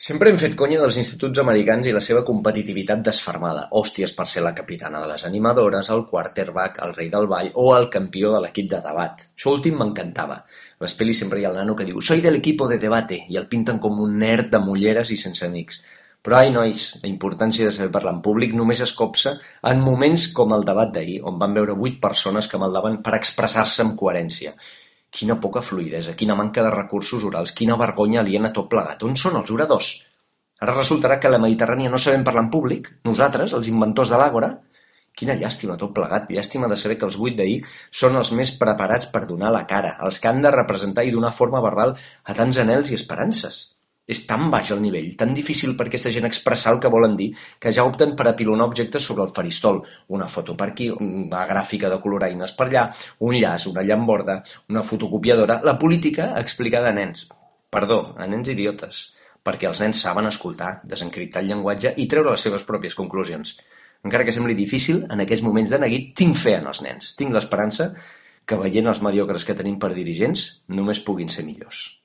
Sempre hem fet conya dels instituts americans i la seva competitivitat desfermada. Hòsties per ser la capitana de les animadores, el quarterback, el rei del ball o el campió de l'equip de debat. Això últim m'encantava. A les pel·lis sempre hi ha el nano que diu «Soy del equipo de debate» i el pinten com un nerd de mulleres i sense amics. Però ai, nois, la importància de saber parlar en públic només es copsa en moments com el debat d'ahir, on van veure 8 persones que maldaven per expressar-se amb coherència. Quina poca fluïdesa, quina manca de recursos orals, quina vergonya aliena tot plegat. On són els oradors? Ara resultarà que a la Mediterrània no sabem parlar en públic, nosaltres, els inventors de l'àgora. Quina llàstima tot plegat, llàstima de saber que els 8 d'ahir són els més preparats per donar la cara, els que han de representar i donar forma verbal a tants anhels i esperances. És tan baix el nivell, tan difícil per aquesta gent expressar el que volen dir, que ja opten per apilonar objectes sobre el faristol. Una foto per aquí, una gràfica de coloraines per allà, un llaç, una llamborda, una fotocopiadora. La política explicada a nens. Perdó, a nens idiotes. Perquè els nens saben escoltar, desencriptar el llenguatge i treure les seves pròpies conclusions. Encara que sembli difícil, en aquests moments de neguit tinc fe en els nens. Tinc l'esperança que veient els mediocres que tenim per dirigents només puguin ser millors.